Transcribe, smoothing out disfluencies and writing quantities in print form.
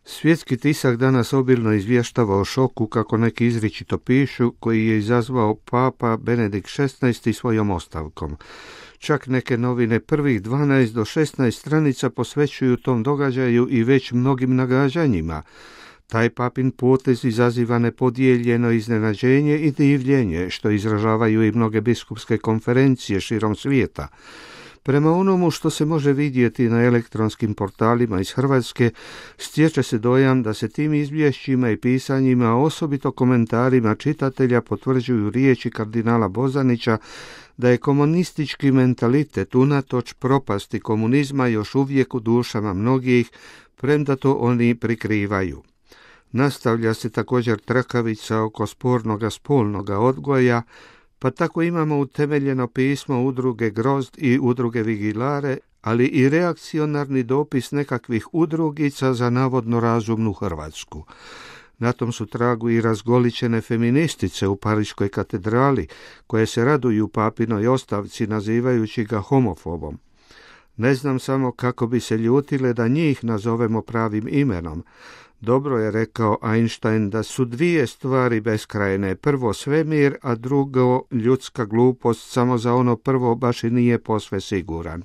Svjetski tisak danas obilno izvještava o šoku, kako neki izričito pišu, koji je izazvao papa Benedikt XVI svojom ostavkom. Čak neke novine prvih 12 do 16 stranica posvećuju tom događaju i već mnogim nagađanjima. Taj papin potez izaziva nepodijeljeno iznenađenje i divljenje, što izražavaju i mnoge biskupske konferencije širom svijeta. Prema onomu što se može vidjeti na elektronskim portalima iz Hrvatske, stječe se dojam da se tim izvješćima i pisanjima, osobito komentarima čitatelja, potvrđuju riječi kardinala Bozanića da je komunistički mentalitet unatoč propasti komunizma još uvijek u dušama mnogih, premda to oni prikrivaju. Nastavlja se također trakavica oko spornoga spolnoga odgoja, pa tako imamo utemeljeno pismo udruge Grozd i udruge Vigilare, ali i reakcionarni dopis nekakvih udrugica za navodno razumnu Hrvatsku. Na tom su tragu i razgoličene feministice u Pariškoj katedrali, koje se raduju papinoj ostavci nazivajući ga homofobom. Ne znam samo kako bi se ljutile da njih nazovemo pravim imenom. Dobro je rekao Einstein da su dvije stvari beskrajne, prvo svemir, a drugo ljudska glupost, samo za ono prvo baš i nije posve siguran.